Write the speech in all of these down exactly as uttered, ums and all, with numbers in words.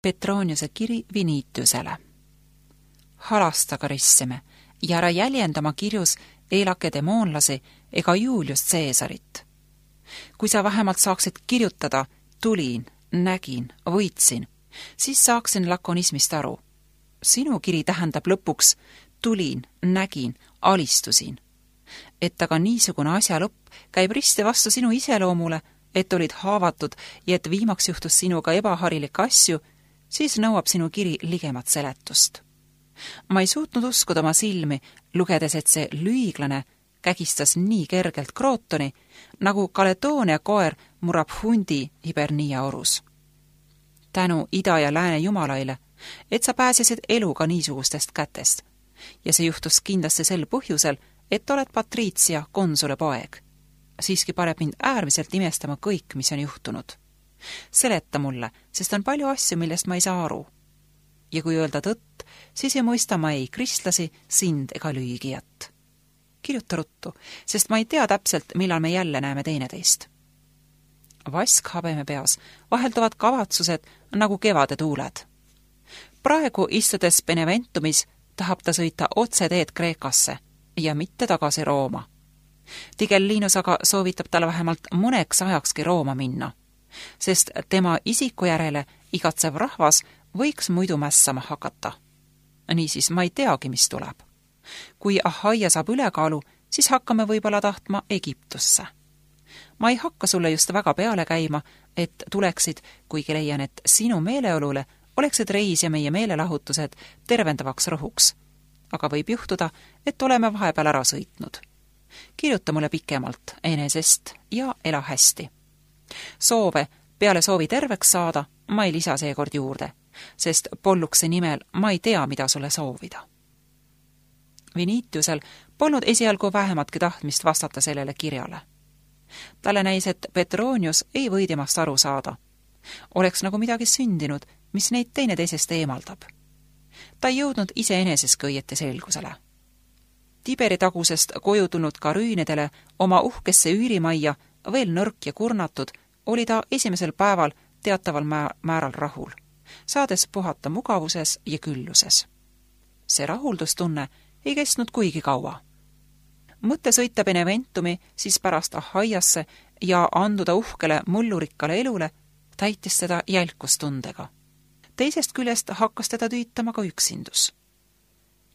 Petroniuse kiri Vinitiusele. Halasta karissime ja ära jäljendama kirjus ei lakedemoonlasi ega Julius Caesarit. Kui sa vähemalt saaksid kirjutada tulin, nägin, võitsin, siis saaksin lakonismist aru. Sinu kiri tähendab lõpuks tulin, nägin, alistusin. Et aga niisugune asja lõpp käib risti vastu sinu iseloomule, et olid haavatud ja et viimaks juhtus sinuga ebaharilikke asju, siis nõuab sinu kiri ligemat seletust. Ma ei suutnud uskuda oma silmi, lugedes, et see lüiglane kägistas nii kergelt Krootoni, nagu Kaledoonia koer murrab hundi Hibernia orus. Tänu ida ja lääne jumalaile, et sa pääsesid eluga niisugustest kätest. Ja see juhtus kindlasti sel põhjusel, et oled Patricia konsule poeg. Siiski paneb mind äärmiselt imestama kõik, mis on juhtunud. Seleta mulle, sest on palju asju, millest ma ei saa aru. Ja kui öelda tõtt, siis ei mõista ma ei kristlasi, sind ega lüügijat. Kirjuta ruttu, sest ma ei tea täpselt, millal me jälle näeme teineteist. Vask habeme peas vahelduvad kavatsused nagu kevade tuuled. Praegu istudes Beneventumis tahab ta sõita otse teed Kreekasse ja mitte tagasi Rooma. Tigellinus aga soovitab talle vähemalt mõneks ajakski Rooma minna, sest tema isiku järele igatsev rahvas võiks muidu mässama hakata. Niisiis ma ei teagi, mis tuleb. Kui Ahaia saab ülekaalu, siis hakkame võib-olla tahtma Egiptusse. Ma ei hakka sulle just väga peale käima, et tuleksid, kuigi leian, et sinu meeleolule oleksid reis ja meie meelelahutused tervendavaks rõhuks. Aga võib juhtuda, et oleme vahepeal ära sõitnud. Kirjuta mulle pikemalt enesest ja ela hästi. Soove peale soovi terveks saada ma ei lisa seekord juurde, sest Polluksi nimel ma ei tea, mida sulle soovida. Vinitiusel polnud esialgu vähematki tahtmist vastata sellele kirjale. Talle näis, et Petronius ei võidimast aru saada. Oleks nagu midagi sündinud, mis neid teineteisest eemaldab. Ta ei jõudnud iseeneseski õieti selgusele. Tiberi tagusest koju tulnud karüünidele oma uhkesse üürimajja, veel nõrk ja kurnatud, oli ta esimesel päeval teataval määral rahul, saades puhata mugavuses ja külluses. See rahuldustunne ei kestnud kuigi kaua. Mõtte sõita Beneventumi, siis pärast Ahaiasse ja anduda uhkele mullurikkale elule, täitis teda jälkustundega. Teisest küljest hakkas teda tüütama ka üksindus.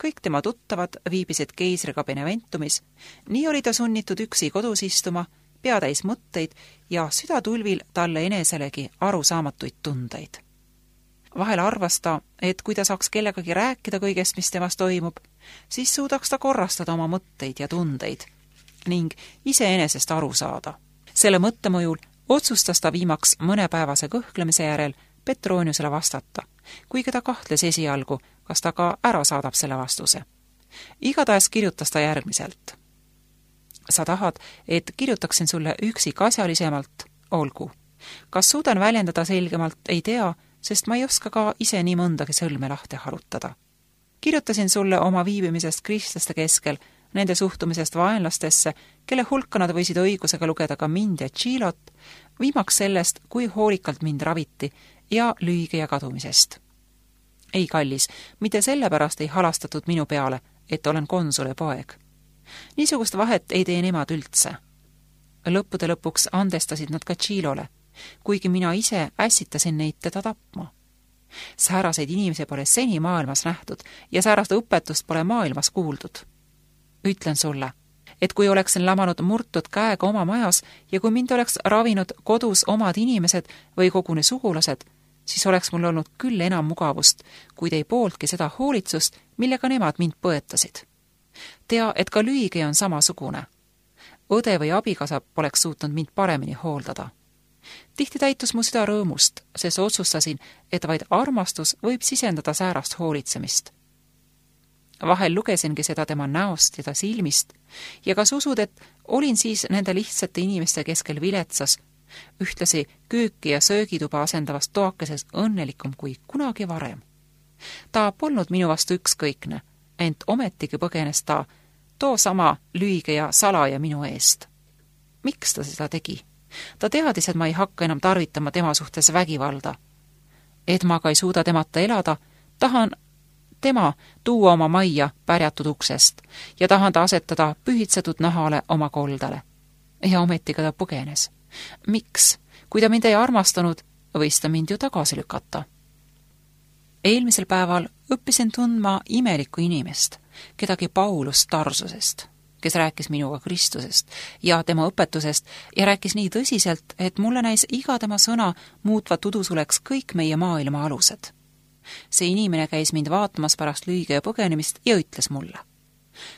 Kõik tema tuttavad viibisid keisriga Beneventumis, nii oli ta sunnitud üksi kodus istuma, peatäis mõtteid ja südatulvil talle eneselegi arusaamatuid tundeid. Vahel arvas ta, et kui ta saaks kellegagi rääkida kõigest, mis temas toimub, siis suudaks ta korrastada oma mõtteid ja tundeid ning iseenesest aru saada. Selle mõttemõjul otsustas ta viimaks mõnepäevase kõhklemise järel Petroniusele vastata, kuigi ta kahtles esialgu, kas ta ka ära saadab selle vastuse. Igatahes kirjutas ta järgmiselt. Sa tahad, et kirjutaksin sulle üksikasjalisemalt? Olgu. Kas suudan väljendada selgemalt, ei tea, sest ma ei oska ka ise nii mõndagi sõlme lahti harutada. Kirjutasin sulle oma viibimisest kristlaste keskel, nende suhtumisest vaenlastesse, kelle hulka nad võisid õigusega lugeda ka mind ja Tšilot, viimaks sellest, kui hoolikalt mind raviti ja lüügi ja kadumisest. Ei, kallis, mitte sellepärast ei halastatud minu peale, et olen konsule poeg. Niisugust vahet ei tee nemad üldse. Lõppude lõpuks andestasid nad ka Tšilole, kuigi mina ise ässitasin neid teda tapma. Sääraseid inimesi pole seni maailmas nähtud ja säärast õpetust pole maailmas kuuldud. Ütlen sulle, et kui oleksin lamanud murtud käega oma majas ja kui mind oleks ravinud kodus omad inimesed või koguni sugulased, siis oleks mul olnud küll enam mugavust, kuid ei pooltki seda hoolitsust, millega nemad mind põetasid. Tea, et ka lüügi on samasugune. Õde või abikasa poleks suutnud mind paremini hooldada. Tihti täitus mu süda rõõmust, sest otsustasin, et vaid armastus võib sisendada säärast hoolitsemist. Vahel lugesingi seda tema näost ja ta silmist ja kas usud, et olin siis nende lihtsate inimeste keskel viletsas, ühtlasi kööki ja söögituba asendavast toakeses õnnelikum kui kunagi varem. Ta polnud minu vastu ükskõikne, ent ometigi põgenes ta too sama lüüge ja salaja minu eest. Miks ta seda tegi? Ta teadis, et ma ei hakka enam tarvitama tema suhtes vägivalda. et ma ka ei suuda temata elada, tahan tema tuua oma majja pärjatud uksest ja tahan ta asetada pühitsetud nahale oma koldale. Ja ometiga ta põgenes. Miks? Kui ta mind ei armastanud, võis ta mind ju tagasi lükata. Eelmisel päeval õppisin tundma imelikku inimest, kedagi Paulus Tarsusest, kes rääkis minuga Kristusest ja tema õpetusest ja rääkis nii tõsiselt, et mulle näis iga tema sõna muutvat udusuleks kõik meie maailma alused. See inimene käis mind vaatamas pärast lüüge ja põgenemist ja ütles mulle: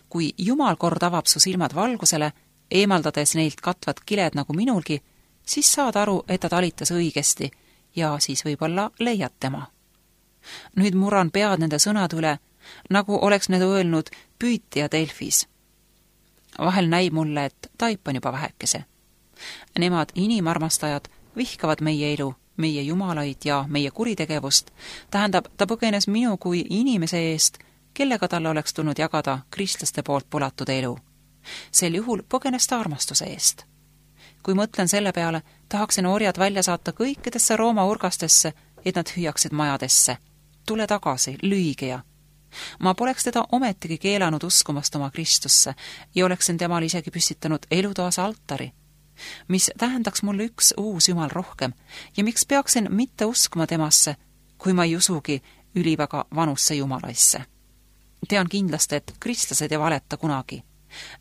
kui Jumal kord avab su silmad valgusele, eemaldades neilt katvad kiled nagu minulgi, siis saad aru, et ta talitas õigesti ja siis võib-olla leiad tema. Nüüd murran pead nende sõnad üle, nagu oleks need öelnud püütija Delfis. Vahel näib mulle, et taipan juba vähekese. Nemad inimarmastajad vihkavad meie elu, meie jumalaid ja meie kuritegevust, tähendab, ta põgenes minu kui inimese eest, kellega talle oleks tulnud jagada kristlaste poolt polatud elu. Sel juhul põgenes ta armastuse eest. Kui mõtlen selle peale, tahaksin orjad välja saata kõikidesse Rooma urgastesse, et nad hüüaksid majadesse. Tule tagasi, lüügeja. Ma poleks teda ometigi keelanud uskumast oma Kristusse ja oleksin temal isegi püstitanud elutoas altari, mis tähendaks mulle üks uus Jumal rohkem ja miks peaksin mitte uskuma temasse, kui ma ei usugi üliväga vanusse Jumalaisse. Tean kindlasti, et kristlased ei valeta kunagi.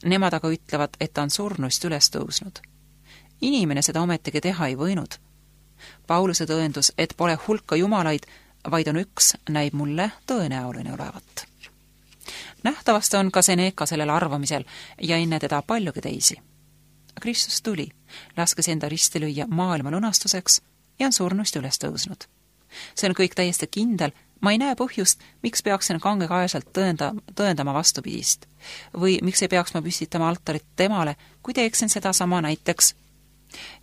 Nemad aga ütlevad, et ta on surnuist üles tõusnud. Inimene seda ometigi teha ei võinud. Pauluse tõendus, et pole hulka jumalaid, vaid on üks, näib mulle tõenäoline olevat. Nähtavasti on ka Seneca sellel arvamisel ja enne teda paljugi teisi. Kristus tuli, laskes enda risti lüüa maailma lunastuseks ja on surnuist üles tõusnud. See on kõik täiesti kindel, ma ei näe põhjust, miks peaksin kangekaeselt tõenda, tõendama vastupidist või miks ei peaks ma püstitama altarit temale, kui teeksin seda sama näiteks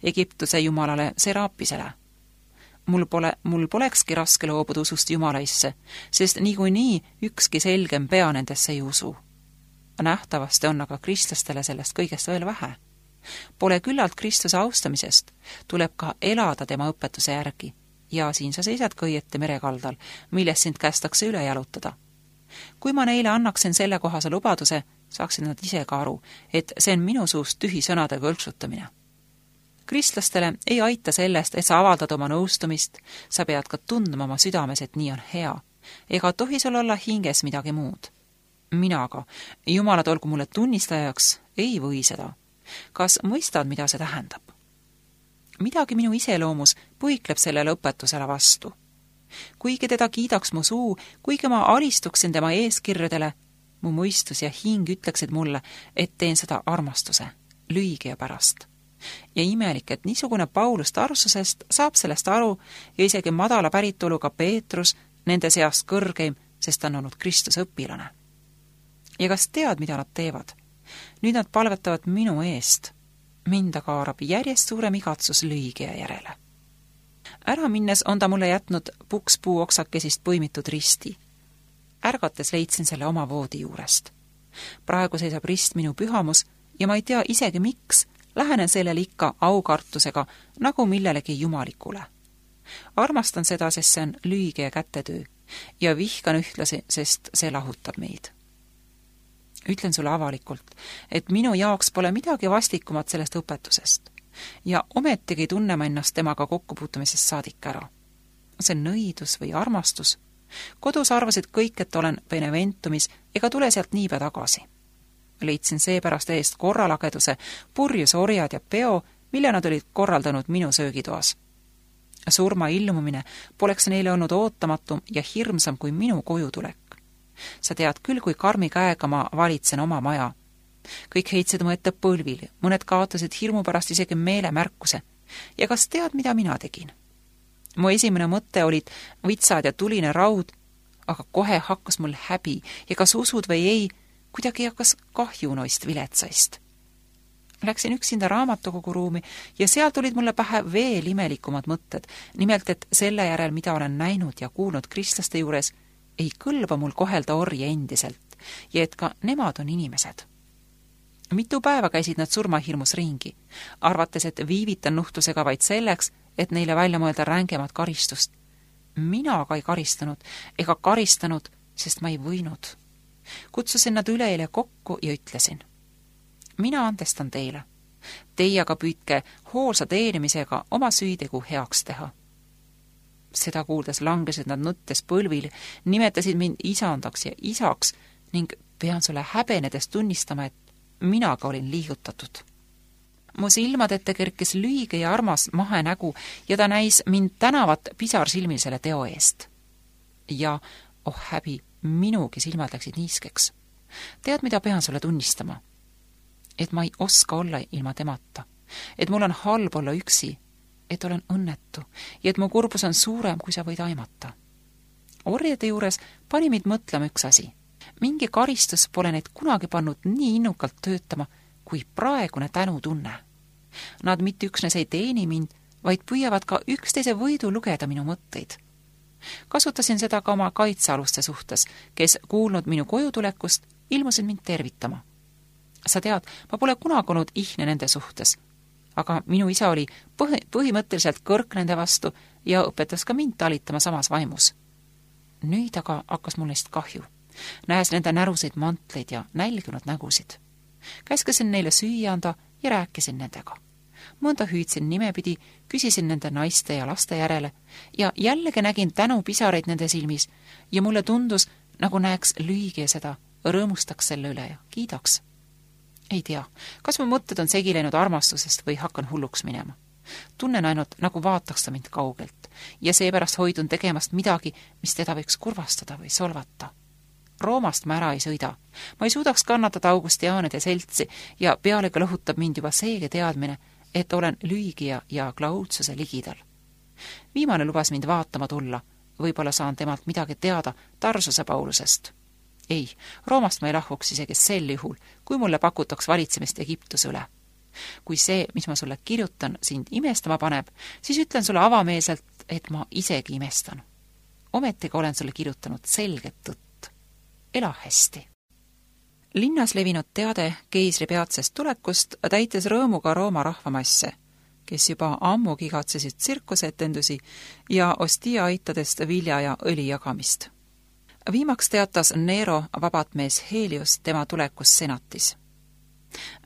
Egiptuse jumalale Serapisele. Mul pole, mul polekski raske loobuda usust Jumalaisse, sest niikuinii ükski selgem pea nendesse ei usu. Nähtavasti on aga kristlastele sellest kõigest veel vähe. Pole küllalt Kristuse austamisest, tuleb ka elada tema õpetuse järgi ja siin sa seisad kõieti merekaldal, millest sind kästakse üle jalutada. Kui ma neile annaksin selle kohase lubaduse, saaksid nad ise ka aru, et see on minu suust tühi sõnadega õlksutamine. Kristlastele ei aita sellest, et sa avaldad oma nõustumist, sa pead ka tundma oma südames, et nii on hea, ega tohi sul olla hinges midagi muud. Mina aga, Jumalad olgu mulle tunnistajaks, ei või seda. Kas mõistad, mida see tähendab? Midagi minu iseloomus põikleb sellele õpetusele vastu. Kuigi teda kiidaks mu suu, kuigi ma alistuksin tema eeskirjadele, mu mõistus ja hing ütleksid mulle, et teen seda armastuse, lüügija pärast. Ja imelik, et niisugune Paulus Tarsusest saab sellest aru ja isegi madala päritoluga Peetrus nende seast kõrgeim, sest ta on olnud Kristuse õpilane. Ja kas tead, mida nad teevad? Nüüd nad palvetavad minu eest. Mind aga haarab järjest suurem igatsus lüügija järele. Ära minnes on ta mulle jätnud pukspuu oksakesist põimitud risti. Ärgates leidsin selle oma voodi juurest. Praegu seisab rist minu pühamus ja ma ei tea isegi miks, lähenen sellele ikka aukartusega nagu millelegi jumalikule. Armastan seda, sest see on lüügija kätetöö ja vihkan ühtlasi, sest see lahutab meid. Ütlen sulle avalikult, et minu jaoks pole midagi vastikumat sellest õpetusest ja ometigi tunne ma ennast temaga kokkupuutumisest saadik ära. See on nõidus või armastus. Kodus arvasid kõik, et olen Beneventumis ega tule sealt niipea tagasi. Leidsin seepärast eest korralageduse, purjus orjad ja peo, mille nad olid korraldanud minu söögitoas. Surma ilmumine poleks neile olnud ootamatum ja hirmsam kui minu koju tulek. Sa tead küll, kui karmi käega ma valitsen oma maja. Kõik heitsid mu ette põlvil, mõned kaotasid hirmu pärast isegi meelemärkuse. Ja kas tead, mida mina tegin? Mu esimene mõte olid vitsad ja tuline raud, aga kohe hakkas mul häbi ja kas usud või ei, kuidagi hakkas kahju noist viletsaist. Läksin üksinda raamatukogu ruumi ja seal tulid mulle pähe veel imelikumad mõtted, nimelt, et selle järel, mida olen näinud ja kuulnud kristlaste juures, ei kõlba mul kohelda orje endiselt ja et ka nemad on inimesed. Mitu päeva käisid nad surmahirmus ringi, arvates, et viivitan nuhtlusega vaid selleks, et neile välja mõelda rängemat karistust. Mina aga ei karistanud ega karistanud, sest ma ei võinud. Kutsusin nad üleeile kokku ja ütlesin: mina andestan teile. Teie aga püüdke hoolsa teenimisega oma süütegu heaks teha. Seda kuuldes langesid nad nuttes põlvil, nimetasid mind isandaks ja isaks ning pean sulle häbenedes tunnistama, et minaga olin liigutatud. Mu silmad ette kerkis lühige ja armas mahenägu ja ta näis mind tänavat pisarsilmil selle teo eest. Ja, oh häbi, minugi silmad läksid niiskeks. Tead, mida pean sulle tunnistama? Et ma ei oska olla ilma temata, et mul on halb olla üksi, et olen õnnetu ja et mu kurbus on suurem, kui sa võid aimata. Orjade juures pani mind mõtlema üks asi. Mingi karistus pole neid kunagi pannud nii innukalt töötama, kui praegune tänutunne. Nad mitte üksnes ei teeni mind, vaid püüavad ka üksteise võidu lugeda minu mõtteid. Kasutasin seda ka oma kaitsealuste suhtes, kes kuulnud minu kojutulekust, ilmusid mind tervitama. Sa tead, ma pole kunagi olnud ihne nende suhtes, aga minu isa oli põhi, põhimõtteliselt kõrk nende vastu ja õpetas ka mind talitama samas vaimus. Nüüd aga hakkas mul neist kahju, nähes nende näruseid mantleid ja nälginud nägusid. Käskasin neile süüa anda ja rääkisin nendega. Mõnda hüüdsin nimepidi, küsisin nende naiste ja laste järele ja jällegi nägin tänu pisareid nende silmis ja mulle tundus, nagu näeks lüügi seda, rõõmustaks selle üle ja kiidaks. Ei tea, kas mu mõtted on segi läinud armastusest või hakkan hulluks minema. Tunnen ainult, nagu vaataks ta mind kaugelt ja seepärast hoidun tegemast midagi, mis teda võiks kurvastada või solvata. Roomast ma ära ei sõida. Ma ei suudaks kannatada Augustiaanide seltsi ja pealegi lõhutab mind juba seege teadmine, et olen lüügija ja Klaudsuse ligidal. Viimane lubas mind vaatama tulla, võib-olla saan temalt midagi teada Tarsuse Paulusest. Ei, Roomast ma ei lahkuks isegi sel juhul, kui mulle pakutaks valitsemist Egiptuse üle. Kui see, mis ma sulle kirjutan, sind imestama paneb, siis ütlen sulle avameelselt, et ma isegi imestan. Ometiga olen sulle kirjutanud selget tõtt. Ela hästi. Linnas levinud teade keisri peatsest tulekust täitis rõõmuga Rooma rahvamasse, kes juba ammu kigatsesid tsirkusetendusi ja Ostia aitadest vilja ja õli jagamist. Viimaks teatas Nero vabatmees Helios tema tulekus senatis.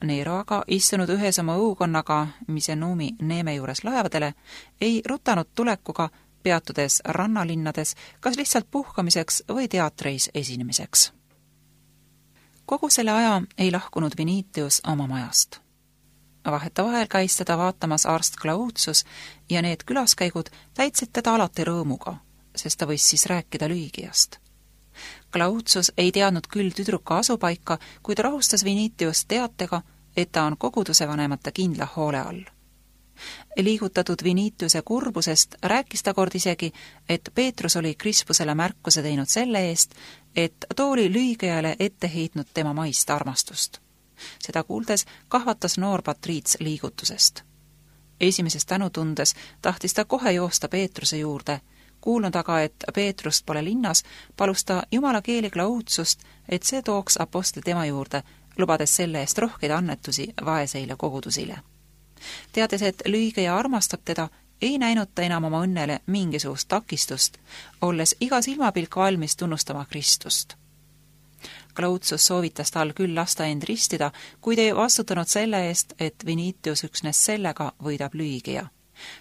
Nero aga istunud ühes oma õukonnaga Misenumi Neeme juures laevadele, ei rutanud tulekuga, peatudes rannalinnades, kas lihtsalt puhkamiseks või teatreis esinemiseks. Kogu selle aja ei lahkunud Vinitius oma majast. Vaheta vahel käis teda vaatamas arst Klaudsus ja need külaskäigud täitsid teda alati rõõmuga, sest ta võis siis rääkida lüügijast. Klaudsus ei teadnud küll tüdruka asupaika, kuid rahustas Vinitius teatega, et ta on koguduse vanemate kindla hoole all. Liigutatud Vinitiuse kurbusest rääkis ta kord isegi, et Peetrus oli Krispusele märkuse teinud selle eest, et too oli lüügijale ette heitnud tema maist armastust. Seda kuuldes kahvatas noor patriits liigutusest. Esimeses tänutundes tahtis ta kohe joosta Peetruse juurde, kuulnud aga, et Peetrust pole linnas, palus ta jumala keeli Klaudsust, et see tooks apostli tema juurde, lubades selle eest rohkeid annetusi vaeseile kogudusile. Teades, et lüügija armastab teda, ei näinud ta enam oma õnnele mingisugust takistust, olles iga silmapilk valmis tunnustama Kristust. Klaudsus soovitas tal küll lasta end ristida, kuid ei vastutanud selle eest, et Vinitius üksnes sellega võidab lüügija,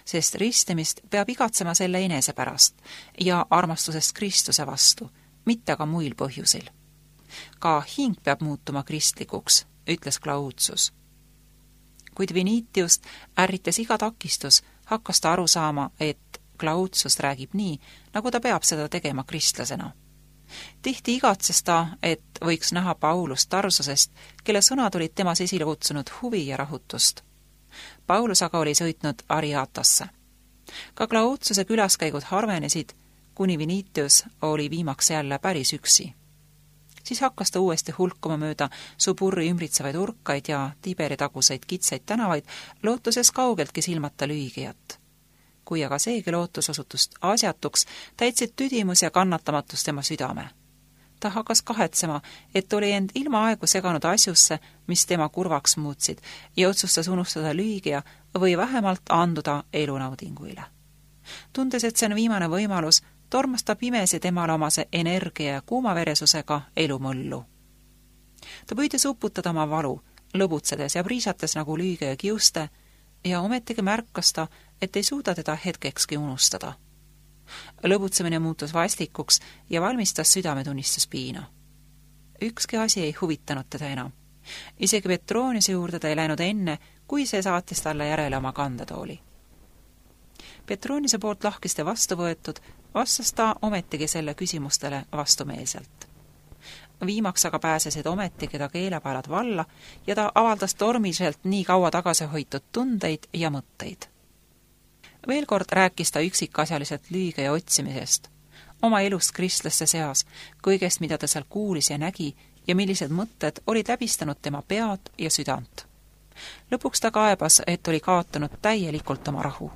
sest ristimist peab igatsema selle enese pärast ja armastusest Kristuse vastu, mitte ka muil põhjusil. Ka hing peab muutuma kristlikuks, ütles Klaudsus. Kuid Vinitiust ärritas iga takistus, hakkas ta aru saama, et Klaudsust räägib nii, nagu ta peab seda tegema kristlasena. Tihti igatses ta, et võiks näha Paulust Tarsusest, kelle sõnad olid temas esile kutsunud huvi ja rahutust. Paulus aga oli sõitnud Ariatasse. Ka Klaudsuse külaskäigud harvenesid, kuni Vinitius oli viimaks jälle päris üksi. Siis hakkas ta uuesti hulkuma mööda Suburri ümbritsevaid urkaid ja Tiberi taguseid kitsaid tänavaid, lootuses kaugeltki silmata lüügijat. Kui aga seegi lootus osutust asjatuks, täitsid tüdimus ja kannatamatus tema südame. Ta hakkas kahetsema, et oli end ilma aegu seganud asjusse, mis tema kurvaks muutsid, ja otsustas unustada lüügija või vähemalt anduda elunaudinguile. Tundes, et see on viimane võimalus, tormas ta pimesi temale omase energia ja kuumaveresusega elumõllu. Ta püüdis uputada oma valu, lõbutsedes ja priisates nagu lüüge ja kiuste, ja ometigi märkas ta, et ei suuda teda hetkekski unustada. Lõbutsemine muutus vastikuks ja valmistas südametunnistuspiina. Ükski asi ei huvitanud teda enam. Isegi Petroniuse juurde ta ei läinud enne, kui see saatis talle järele oma kandetooli. Petroniuse poolt lahkiste vastu võetud, vastas ta ometigi selle küsimustele vastumeelselt. Viimaks aga pääsesid ometigi ta keelepaelad valla ja ta avaldas tormiliselt nii kaua tagasi hoitud tundeid ja mõtteid. Veel kord rääkis ta üksikasjaliselt lüüge ja otsimisest, oma elust kristlaste seas, kõigest, mida ta seal kuulis ja nägi ja millised mõtted olid läbistanud tema pead ja südant. Lõpuks ta kaebas, et oli kaotanud täielikult oma rahu.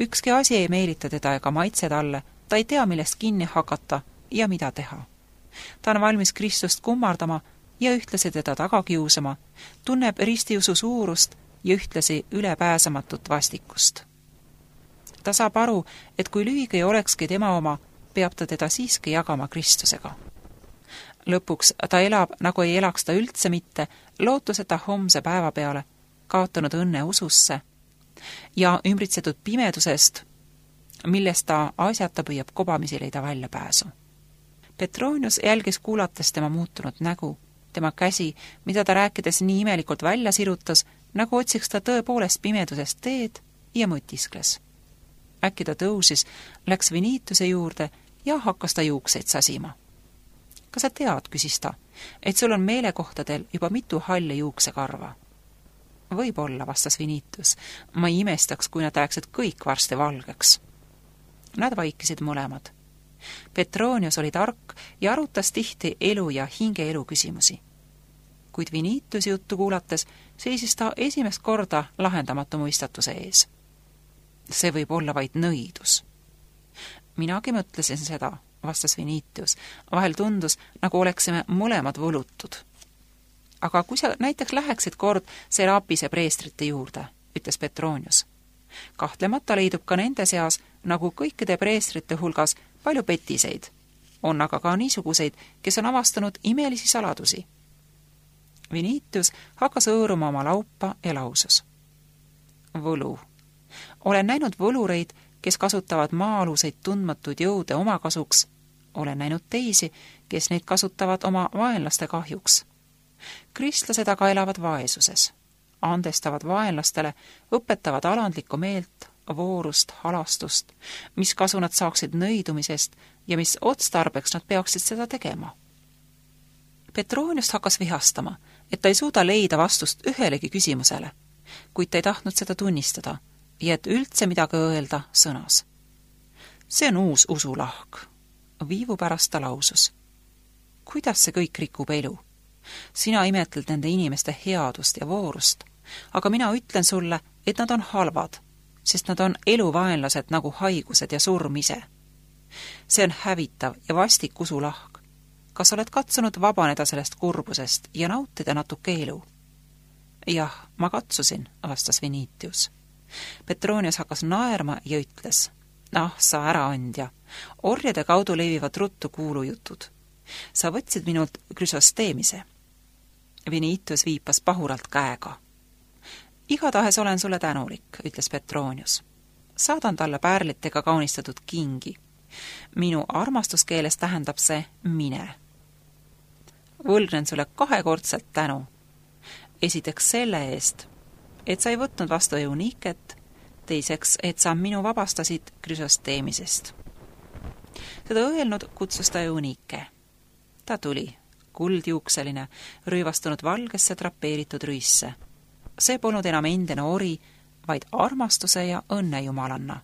Ükski asi ei meelita teda ega maitse talle, ta ei tea, millest kinni hakata ja mida teha. Ta on valmis Kristust kummardama ja ühtlasi teda taga kiusama, tunneb ristiusu suurust ja ühtlasi ülepääsematut vastikust. Ta saab aru, et kui lüüge ei olekski tema oma, peab ta teda siiski jagama Kristusega. Lõpuks ta elab, nagu ei elaks ta üldse mitte, lootuseta homse päeva peale, kaotanud õnne ususse ja ümbritsetud pimedusest, millest ta asjata püüab kobamisi leida väljapääsu. Petronius jälgis kuulates tema muutunud nägu, tema käsi, mida ta rääkides nii imelikult välja sirutas, nagu otsiks ta tõepoolest pimedusest teed ja mõtiskles. Äkki ta tõusis, läks Vinituse juurde ja hakkas ta juukseid sasima. Kas sa tead, küsis ta, et sul on meelekohtadel juba mitu halle juuksekarva? Võib-olla, vastas Vinitus, ma ei imestaks, kui nad läheksid kõik varsti valgeks. Nad vaikisid mõlemad. Petronius oli tark ja arutas tihti elu ja hingeelu küsimusi. Kuid Vinitusi juttu kuulates seisis ta esimest korda lahendamatu mõistatuse ees. See võib olla vaid nõidus. Minagi mõtlesin seda, vastas Vinitius. Vahel tundus, nagu oleksime mõlemad võlutud. Aga kui sa näiteks läheksid kord Serapise preestrite juurde, ütles Petronius. Kahtlemata leidub ka nende seas, nagu kõikide preestrite hulgas, palju petiseid. On aga ka niisuguseid, kes on avastanud imelisi saladusi. Vinitius hakkas õõruma oma laupa ja lausus. Võlu. Olen näinud võlureid, kes kasutavad maa-aluseid tundmatuid jõude oma kasuks. Olen näinud teisi, kes neid kasutavad oma vaenlaste kahjuks. Kristlased aga elavad vaesuses. Andestavad vaenlastele, õpetavad alandlikku meelt, voorust, halastust, mis kasu nad saaksid nõidumisest ja mis otstarbeks nad peaksid seda tegema. Petroniust hakkas vihastama, et ta ei suuda leida vastust ühelegi küsimusele, kuid ta ei tahtnud seda tunnistada ja et üldse midagi öelda sõnas. See on uus usulahk. Viivu pärast ta lausus. Kuidas see kõik rikub elu? Sina imetled nende inimeste headust ja voorust, aga mina ütlen sulle, et nad on halvad, sest nad on eluvaenlased nagu haigused ja surm ise. See on hävitav ja vastik usulahk. Kas oled katsunud vabaneda sellest kurbusest ja nautida natuke elu? Jah, ma katsusin, vastas Vinitius. Petronius hakkas naerma ja ütles, ah, sa äraandja, orjade kaudu levivad ruttu kuulujutud. Sa võtsid minult Krüsosteemise. Vinitius viipas pahuralt käega. Igatahes olen sulle tänulik, ütles Petronius. Saadan talle pärlitega kaunistatud kingi. Minu armastuskeeles tähendab see mine. Võlgnen sulle kahekordselt tänu. Esiteks selle eest, et sa ei võtnud vastu Euniket, teiseks, et sa minu vabastasid Krüsosteemisest. Seda öelnud kutsus ta Eunike. Ta tuli, kuldjuukseline, rüüvastunud valgesse drapeeritud rüüsse. See polnud enam endine ori, vaid armastuse ja õnne jumalanna.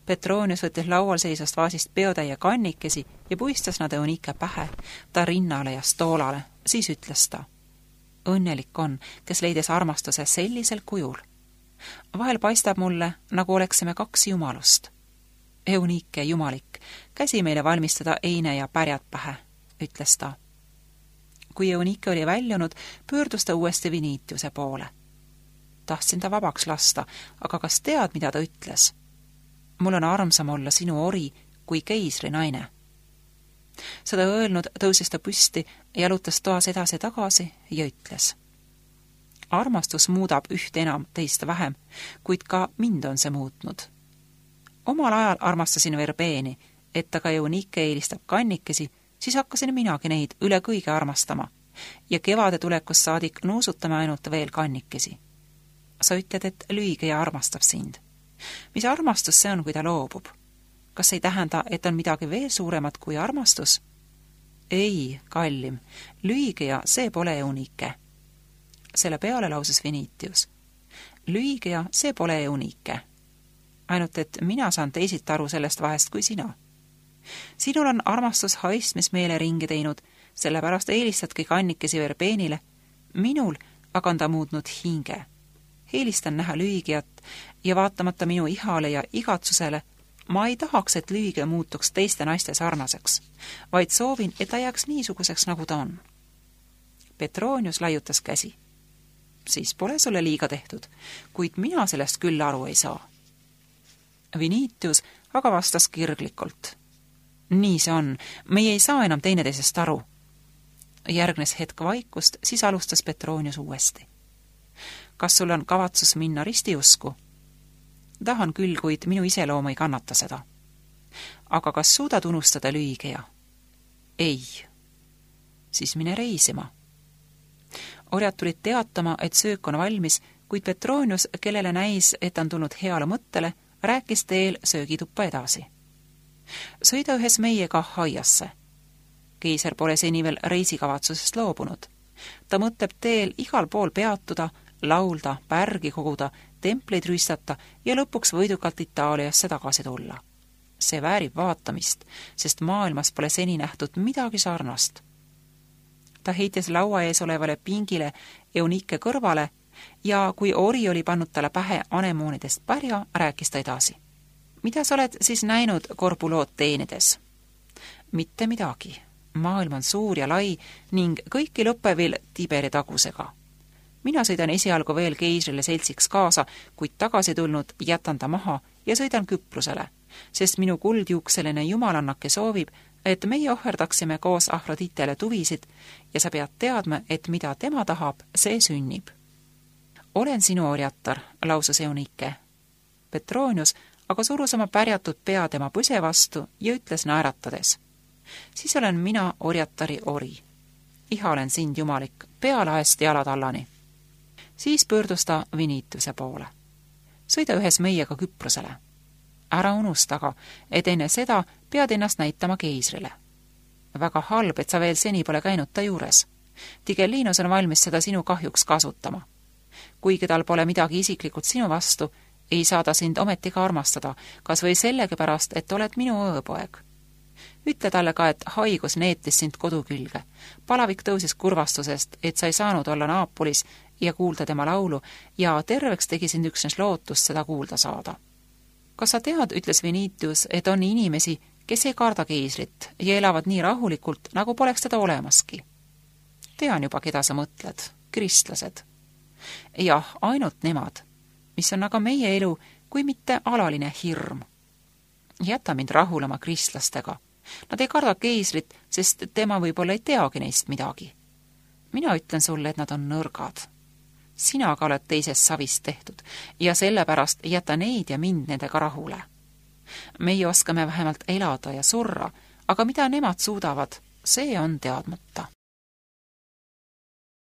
Petronius võttis laual seisast vaasist peotäie kannikesi ja puistas nad Eunike pähe, ta rinnale ja stoolale, siis ütles ta. Õnnelik on, kes leidis armastuse sellisel kujul. Vahel paistab mulle, nagu oleksime kaks jumalust. Eunike jumalik, käsi meile valmistada eine ja pärjad pähe, ütles ta. Kui Eunike oli väljunud, pöördus ta uuesti Vinitiuse poole. Tahtsin ta vabaks lasta, aga kas tead, mida ta ütles? Mul on armsam olla sinu ori kui keisri naine. Seda öelnud tõusis ta püsti, jalutas toas edasi tagasi ja ütles: armastus muudab üht enam, teist vähem, kuid ka mind on see muutnud. Omal ajal armastasin verbeeni, et aga Eunike eelistab kannikesi, siis hakkasin minagi neid üle kõige armastama ja kevade tulekust saadik nuusutame ainult veel kannikesi. Sa ütled, et lüügeja armastab sind. Mis armastus see on, kui ta loobub? Kas ei tähenda, et on midagi veel suuremat kui armastus? Ei, kallim, lüügeja, see pole Eunike. Selle peale lausus Vinitius: lüügeja, see pole Eunike. Ainult, et mina saan teisiti aru sellest vahest kui sina. Sinul on armastus haistmismeele ringi teinud, sellepärast eelistadki kannikesi verbeenile. Minul aga on ta muutnud hinge. Eelistan näha lüügijat ja vaatamata minu ihale ja igatsusele, ma ei tahaks, et lüüge muutuks teiste naiste sarnaseks, vaid soovin, et ta jääks niisuguseks, nagu ta on. Petronius laiutas käsi. Siis pole sulle liiga tehtud, kuid mina sellest küll aru ei saa. Vinitius aga vastas kirglikult: nii see on, meie ei saa enam teineteisest aru. Järgnes hetk vaikust, siis alustas Petronius uuesti: kas sul on kavatsus minna ristiusku? Tahan küll, kuid minu iseloom ei kannata seda. Aga kas suudad unustada lüügeja? Ei. Siis mine reisima. Orjad tulid teatama, et söök on valmis, kuid Petronius, kellele näis, et on tulnud heale mõttele, rääkis teel söögituppa edasi. Sõida ühes meiega haiasse. Keiser pole seni veel reisikavatsusest loobunud. Ta mõtleb teel igal pool peatuda, laulda, pärgi koguda, templeid rüistata ja lõpuks võidukalt Itaaliasse tagasi tulla. See väärib vaatamist, sest maailmas pole seni nähtud midagi sarnast. Ta heitis laua ees olevale pingile Eunike kõrvale ja kui ori oli pannud talle pähe anemoonidest pärja, rääkis ta edasi. Mida sa oled siis näinud Korbulood teenides? Mitte midagi. Maailm on suur ja lai ning kõiki lõppevil Tiberi tagusega. Mina sõidan esialgu veel keisrile seltsiks kaasa, kuid tagasi tulnud jätan ta maha ja sõidan Küprusele, sest minu kuldjuukseline jumalannake soovib, et meie ohverdaksime koos Afroditele tuvisid ja sa pead teadma, et mida tema tahab, see sünnib. Olen sinu orjatar, lausus Eunike. Petronius aga surus oma pärjatud pea tema põse vastu ja ütles naeratades: siis olen mina orjatari ori. Iha olen sind, jumalik, pealaest jalatallani. Siis pöördus ta Vinitiuse poole. Sõida ühes meiega Küprosele. Ära unustaga, et enne seda pead ennast näitama keisrile. Väga halb, et sa veel seni pole käinud ta juures. Tigellinus on valmis seda sinu kahjuks kasutama. Kuigi tal pole midagi isiklikult sinu vastu, ei saa ta sind ometiga armastada, kas või sellegi pärast, et oled minu õõpoeg. Ütle talle ka, et haigus neetis sind kodu külge. Palavik tõusis kurvastusest, et sa ei saanud olla Naapolis ja kuulda tema laulu ja terveks tegi sind üksnes lootust seda kuulda saada. Kas sa tead, ütles Vinitius, et on inimesi, kes ei karda keisrit ja elavad nii rahulikult, nagu poleks teda olemaski? Tean juba, keda sa mõtled. Kristlased. Jah, ainult nemad, mis on aga meie elu, kui mitte alaline hirm. Jäta mind rahulema kristlastega. Nad ei karda keisrit, sest tema võib-olla ei teagi neist midagi. Mina ütlen sulle, et nad on nõrgad. Sina aga oled teisest savist tehtud ja sellepärast jäta neid ja mind nendega rahule. Meie oskame vähemalt elada ja surra, aga mida nemad suudavad, see on teadmata.